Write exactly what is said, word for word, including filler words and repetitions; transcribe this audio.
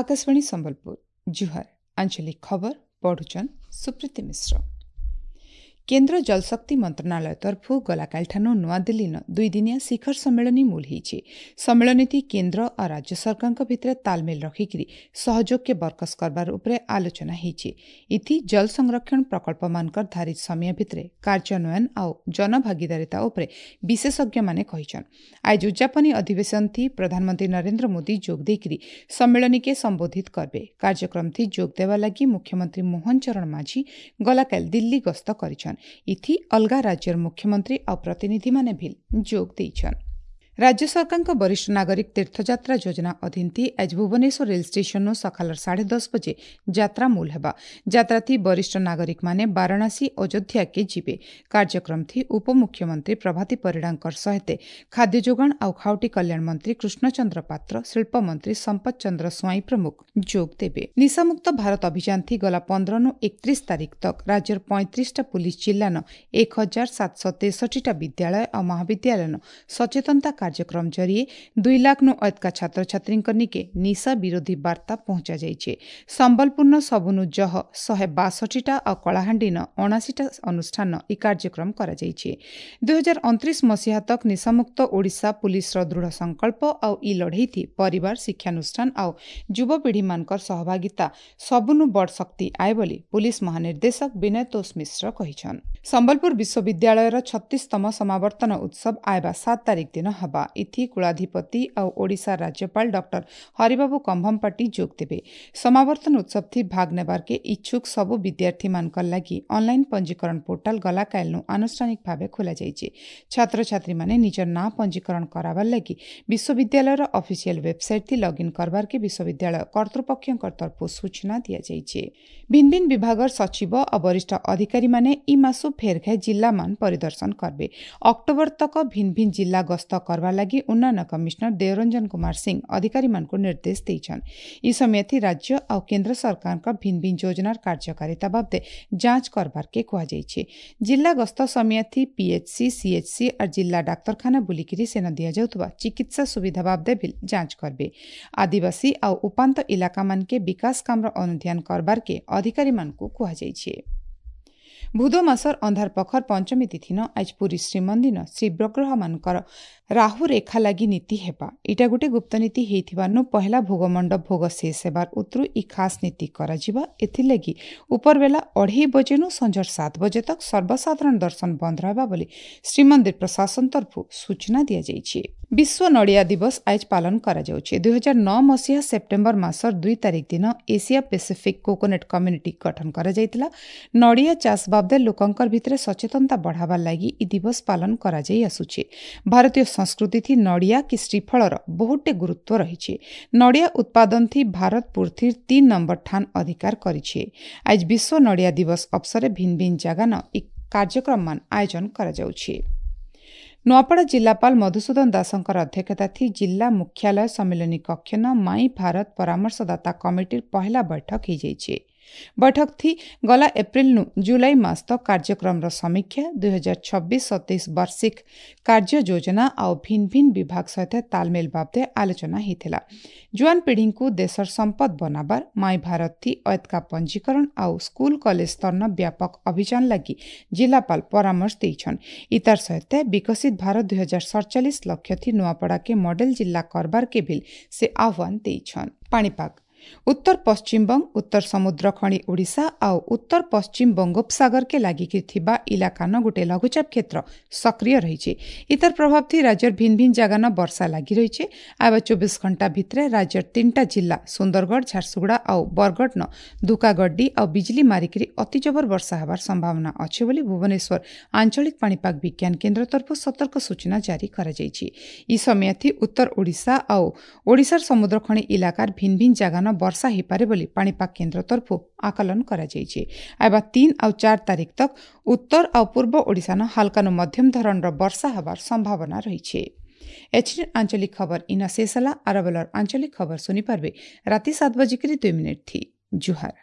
ଆକାଶବାଣୀ ସମ୍ବଲପୁର ଜୁହାର ଆଞ୍ଚଳିକ ଖବର ପଢୁଛନ୍ ସୁପ୍ରୀତି ମିଶ୍ର କେନ୍ଦ୍ର ଜଳଶକ୍ତି ମନ୍ତ୍ରଣାଳୟ ତରଫରୁ ଗଲାକାଲିଠାନୁ ନୂଆଦିଲ୍ଲୀନ ଦୁଇଦିନିଆ ଶିଖର ସମ୍ମିଳନୀ ମୂଲ ହେଇଛି ସମ୍ମିଳନୀତି କେନ୍ଦ୍ର ଆଉ ରାଜ୍ୟ ସରକାରଙ୍କ ଭିତରେ ତାଲମେଲ ରଖିକିରି ସହଯୋଗକେ ବରକସ କରବାର ଉପରେ ଆଲୋଚନା ହେଇଛି ଇଥି ଜଳ ସଂରକ୍ଷଣ ପ୍ରକଳ୍ପମାନଙ୍କର ଧାରିତ ସମୟ ଭିତରେ କାର୍ଯ୍ୟାନ୍ୱୟନ ଆଉ ଜନଭାଗିଦାରିତା ଉପରେ ବିଶେଷଜ୍ଞମାନେ କହିଛନ୍ ଆଜ ଉଦ୍ଯାପନୀ ଅଧିବେଶନଥି ପ୍ରଧାନମନ୍ତ୍ରୀ ନରେନ୍ଦ୍ର ମୋଦି ଯୋଗ ଦେଇକିରି ସମ୍ମିଳନୀକେ ସମ୍ବୋଧିତ କରବେ କାର୍ଯ୍ୟକ୍ରମଥି ଯୋଗ ଦେବା ଲାଗି ମୁଖ୍ୟମନ୍ତ୍ରୀ ମୋହନ ଚରଣ ମାଝୀ ଗଲାକାଲି ଦିଲ୍ଲୀ ଗସ୍ତ କରିଛନ୍ ଇଥି ଅଲଗା ରାଜ୍ୟର ମୁଖ୍ୟମନ୍ତ୍ରୀ ଆଉ ପ୍ରତିନିଧିମାନେ ବି ଯୋଗ ଦେଇଛନ୍ ରାଜ୍ୟ ସରକାରଙ୍କ ବରିଷ୍ଠ ନାଗରିକ ତୀର୍ଥଯାତ୍ରା ଯୋଜନା ଅଧୀନଥି ଆଜ ଭୁବନେଶ୍ୱର ରେଳ ଷ୍ଟେସନରୁ ସକାଳର ସାଢ଼େ ଦଶ ବଜେ ଯାତ୍ରା ମୂଲ ହେବା ଯାତ୍ରାଥି ବରିଷ୍ଠ ନାଗରିକମାନେ ବାରାଣସୀ ଅଯୋଧ୍ୟାକେ ଯିବେ କାର୍ଯ୍ୟକ୍ରମଥି ଉପମୁଖ୍ୟମନ୍ତ୍ରୀ ପ୍ରଭାତୀ ପରିଡ଼ାଙ୍କର ସହିତ ଖାଦ୍ୟ ଯୋଗାଣ ଆଉ ଖାଉଟି କଲ୍ୟାଣ ମନ୍ତ୍ରୀ କୃଷ୍ଣଚନ୍ଦ୍ର ପାତ୍ର ଶିଳ୍ପମନ୍ତ୍ରୀ ସମ୍ପଦ ଚନ୍ଦ୍ର ସ୍ୱାଇଁ ପ୍ରମୁଖ ଯୋଗ ଦେବେ ନିଶାମୁକ୍ତ ଭାରତ ଅଭିଯାନଥି ଗଲା ପନ୍ଦରନୁ ଏକତ୍ରିଶ ତାରିଖ ତକ ରାଜ୍ୟର ପଇଁତିରିଶଟା ପୁଲିସ ଜିଲ୍ଲାନ ଏକ ହଜାର ସାତଶହ ତେଷଠିଟା ବିଦ୍ୟାଳୟ ଆଉ ମହାବିଦ୍ୟାଳୟନ ସଚେତନତା କାର୍ଯ୍ୟକ୍ରମ ଜରିଏ ଦୁଇ ଲାଖନୁ ଅଧିକା ଛାତ୍ରଛାତ୍ରୀଙ୍କ ନିକେ ନିଶା ବିରୋଧୀ ବାର୍ତ୍ତା ପହଞ୍ଚାଯାଇଛି ସମ୍ବଲପୁରନ ସବୁନୁ ଜହ ଶହେ ବାଷଠିଟା ଆଉ କଳାହାଣ୍ଡିନ ଅଣାଅଶୀଟା ଅନୁଷ୍ଠାନ ଇ କାର୍ଯ୍ୟକ୍ରମ କରାଯାଇଛି ଦୁଇହଜାର ଅଣତିରିଶ ମସିହା ତକ ନିଶାମୁକ୍ତ ଓଡ଼ିଶା ପୁଲିସର ଦୃଢ଼ ସଂକଳ୍ପ ଆଉ ଇ ଲଢ଼େଇଥି ପରିବାର ଶିକ୍ଷାନୁଷ୍ଠାନ ଆଉ ଯୁବପିଢ଼ିମାନଙ୍କର ସହଭାଗିତା ସବୁନୁ ବଡ଼ ଶକ୍ତି ଆଏ ବୋଲି ପୁଲିସ ମହାନିର୍ଦ୍ଦେଶକ ବିନୟ ତୋଷ ମିଶ୍ର କହିଛନ୍ ସମ୍ବଲପୁର ବିଶ୍ୱବିଦ୍ୟାଳୟର ଛତିଶତମ ସମାବର୍ତ୍ତନ ଉତ୍ସବ ଆଇବା ସାତ ତାରିଖ ଦିନ ହେବା ଇଥି କୁଳାଧିପତି ଆଉ ଓଡ଼ିଶା ରାଜ୍ୟପାଳ ଡକ୍ଟର ହରିବାବୁ କମ୍ଭମପାଟି ଯୋଗ ଦେବେ ସମାବର୍ତ୍ତନ ଉତ୍ସବଥି ଭାଗ ନେବାର୍କେ ଇଚ୍ଛୁକ ସବୁ ବିଦ୍ୟାର୍ଥୀମାନଙ୍କର ଲାଗି ଅନଲାଇନ୍ ପଞ୍ଜୀକରଣ ପୋର୍ଟାଲ ଗଲାକାଲିନୁ ଆନୁଷ୍ଠାନିକ ଭାବେ ଖୋଲାଯାଇଛି ଛାତ୍ରଛାତ୍ରୀମାନେ ନିଜର ନାଁ ପଞ୍ଜୀକରଣ କରାବାର ଲାଗି ବିଶ୍ୱବିଦ୍ୟାଳୟର ଅଫିସିଆଲ ୱେବସାଇଟ୍ ଲଗ୍ଇନ୍ କରବାର୍କେ ବିଶ୍ୱବିଦ୍ୟାଳୟ କର୍ତ୍ତୃପକ୍ଷଙ୍କ ତରଫରୁ ସୂଚନା ଦିଆଯାଇଛି ଭିନ୍ନ ଭିନ୍ନ ବିଭାଗର ସଚିବ ଆଉ ବରିଷ୍ଠ ଅଧିକାରୀମାନେ ଇ ମାସୁ ଫେରଘାଏ ଜିଲ୍ଲାମାନ ପରିଦର୍ଶନ କରବେ ଅକ୍ଟୋବର ତକ ଭିନ୍ନ ଭିନ୍ନ ଜିଲ୍ଲା ଗସ୍ତ କରବା ଲାଗି ଉନ୍ନୟନ କମିଶନର ଦେବରଞ୍ଜନ କୁମାର ସିଂ ଅଧିକାରୀମାନଙ୍କୁ ନିର୍ଦ୍ଦେଶ ଦେଇଛନ୍ ଇ ସମୟଥି ରାଜ୍ୟ ଆଉ କେନ୍ଦ୍ର ସରକାରଙ୍କ ଭିନ୍ନ ଭିନ୍ନ ଯୋଜନାର କାର୍ଯ୍ୟକାରିତା ବାବଦେ ଯାଞ୍ଚ କରବାର୍କେ କୁହାଯାଇଛି ଜିଲ୍ଲା ଗସ୍ତ ସମୟଥି ପିଏଚସି ସିଏଚସି ଆର୍ ଜିଲ୍ଲା ଡାକ୍ତରଖାନା ବୁଲିକିରି ସେନ ଦିଆଯାଉଥିବା ଚିକିତ୍ସା ସୁବିଧା ବାବଦେ ବି ଯାଞ୍ଚ କରବେ ଆଦିବାସୀ ଆଉ ଉପାନ୍ତ ଇଲାକାମାନକେ ବିକାଶ କାମର ଅନୁଧ୍ୟାନ କରବାର୍କେ ଅଧିକାରୀମାନଙ୍କୁ କୁହାଯାଇଛି ଭୁଦ ମାସର ଅନ୍ଧାର ପଖର ପଞ୍ଚମୀ ତିଥିନ ଆଜ ପୁରୀ ଶ୍ରୀମନ୍ଦିର ଶ୍ରୀବିଗ୍ରହମାନଙ୍କର ରାହୁ ରେଖା ଲାଗି ନୀତି ହେବା ଏଇଟା ଗୋଟେ ଗୁପ୍ତ ନୀତି ହେଇଥିବାନୁ ପହେଲା ଭୋଗମଣ୍ଡପ ଭୋଗ ଶେଷ ହେବାର ଉତରୁ ଇ ଖାସ୍ ନୀତି କରାଯିବା ଏଥିଲାଗି ଉପରବେଲା ଅଢ଼େଇ ବଜେନୁ ସଞ୍ଜର ସାତ ବଜେ ତକ ସର୍ବସାଧାରଣ ଦର୍ଶନ ବନ୍ଦ ରହିବା ବୋଲି ଶ୍ରୀମନ୍ଦିର ପ୍ରଶାସନ ତରଫରୁ ସୂଚନା ଦିଆଯାଇଛି ବିଶ୍ୱ ନଡ଼ିଆ ଦିବସ ଆଜ ପାଳନ କରାଯାଉଛି ଦୁଇହଜାର ନଅ ମସିହା ସେପ୍ଟେମ୍ବର ମାସର ଦୁଇ ତାରିଖ ଦିନ ଏସିଆ ପାସିଫିକ୍ କୋକୋନଟ୍ କମ୍ୟୁନିଟି ଗଠନ କରାଯାଇଥିଲା ନଡ଼ିଆ ଚାଷ ବାବଦେ ଲୋକଙ୍କର ଭିତରେ ସଚେତନତା ବଢ଼ାବାର ଲାଗି ଇ ଦିବସ ପାଳନ କରାଯାଇ ଆସୁଛି ଭାରତୀୟ ସଂସ୍କୃତିଥି ନଡ଼ିଆ କି ଶ୍ରୀଫଳର ବହୁତଟେ ଗୁରୁତ୍ୱ ରହିଛି ନଡ଼ିଆ ଉତ୍ପାଦନଥି ଭାରତ ପୃଥିବୀର ତିନ୍ ନମ୍ବର ଠାନ ଅଧିକାର କରିଛି ଆଜ ବିଶ୍ୱ ନଡ଼ିଆ ଦିବସ ଅବସରେ ଭିନ୍ନ ଭିନ୍ନ ଜାଗାନ ଇ କାର୍ଯ୍ୟକ୍ରମମାନ ଆୟୋଜନ କରାଯାଉଛି ନୂଆପଡ଼ା ଜିଲ୍ଲାପାଳ ମଧୁସୂଦନ ଦାସଙ୍କର ଅଧ୍ୟକ୍ଷତାଥି ଜିଲ୍ଲା ମୁଖ୍ୟାଳୟ ସମ୍ମିଳନୀ କକ୍ଷନ ମାଇ ଭାରତ ପରାମର୍ଶଦାତା କମିଟିର ପହିଲା ବୈଠକ ହେଇଯାଇଛି ବୈଠକଥି ଗଲା ଏପ୍ରିଲନୁ ଜୁଲାଇ ମାସ ତକ କାର୍ଯ୍ୟକ୍ରମର ସମୀକ୍ଷା ଦୁଇହଜାର ଛବିଶ ସତେଇଶ ବାର୍ଷିକ କାର୍ଯ୍ୟ ଯୋଜନା ଆଉ ଭିନ୍ନ ଭିନ୍ନ ବିଭାଗ ସହିତ ତାଲମେଲ ବାବଦେ ଆଲୋଚନା ହେଇଥିଲା ଜୁଆନ ପିଢ଼ିଙ୍କୁ ଦେଶର ସମ୍ପଦ ବନାବାର ମାଇ ଭାରତଥି ଅୟତ୍କା ପଞ୍ଜୀକରଣ ଆଉ ସ୍କୁଲ କଲେଜ ସ୍ତରନ ବ୍ୟାପକ ଅଭିଯାନ ଲାଗି ଜିଲ୍ଲାପାଳ ପରାମର୍ଶ ଦେଇଛନ୍ ଇତାର ସହିତ ବିକଶିତ ଭାରତ ଦୁଇହଜାର ସଡ଼ଚାଳିଶ ଲକ୍ଷ୍ୟଥି ନୂଆପଡ଼ାକେ ମଡେଲ ଜିଲ୍ଲା କରବାରକେ ବି ସେ ଆହ୍ୱାନ ଦେଇଛନ୍ ପାଣିପାଗ ଉତ୍ତର ପଶ୍ଚିମବଙ୍ଗ ଉତ୍ତର ସମୁଦ୍ର ଖଣି ଓଡ଼ିଶା ଆଉ ଉତ୍ତର ପଶ୍ଚିମ ବଙ୍ଗୋପସାଗରକେ ଲାଗିକି ଥିବା ଇଲାକାନ ଗୋଟେ ଲଘୁଚାପ କ୍ଷେତ୍ର ସକ୍ରିୟ ରହିଛି ଇତାର ପ୍ରଭାବଥି ରାଜ୍ୟର ଭିନ୍ନ ଭିନ୍ନ ଜାଗାନ ବର୍ଷା ଲାଗି ରହିଛି ଆଇବା ଚବିଶ ଘଣ୍ଟା ଭିତରେ ରାଜ୍ୟର ତିନିଟା ଜିଲ୍ଲା ସୁନ୍ଦରଗଡ଼ ଝାରସୁଗୁଡ଼ା ଆଉ ବରଗଡ଼ନ ଧୁକାଗड्डी ଆଉ ବିଜଲି ମାରିକିରି ଅତି ଜବର ବର୍ଷା ହେବାର ସମ୍ଭାବନା ଅଛି ବୋଲି ଭୁବନେଶ୍ୱର ଆଞ୍ଚଳିକ ପାଣିପାଗ ବିଜ୍ଞାନ କେନ୍ଦ୍ର ତରଫରୁ ସତର୍କ ସୂଚନା ଜାରି କରାଯାଇଛି ଇ ସମୟଥି ଉତ୍ତର ଓଡ଼ିଶା ଆଉ ଓଡ଼ିଶାର ସମୁଦ୍ରଖଣି ଇଲାକାର ଭିନ୍ନ ଭିନ୍ନ ଜାଗାନ ବର୍ଷା ହେଇପାରେ ବୋଲି ପାଣିପାଗ କେନ୍ଦ୍ର ତରଫରୁ ଆକଳନ କରାଯାଇଛି ଆଇବା ତିନି ଆଉ ଚାରି ତାରିଖ ତକ ଉତ୍ତର ଆଉ ପୂର୍ବ ଓଡ଼ିଶାନ ହାଲକାନୁ ମଧ୍ୟମ ଧରଣର ବର୍ଷା ହେବାର ସମ୍ଭାବନା ରହିଛି ଏଚ୍ ଆଞ୍ଚଳିକ ଖବର ଇନ ଶେଷ ହେଲା ଆରବେଲର ଆଞ୍ଚଳିକ ଖବର ଶୁଣିପାରିବେ ରାତି ସାତ ବଜିକରି ଦୁଇ ମିନିଟ୍ ଥି ଜୁହାର।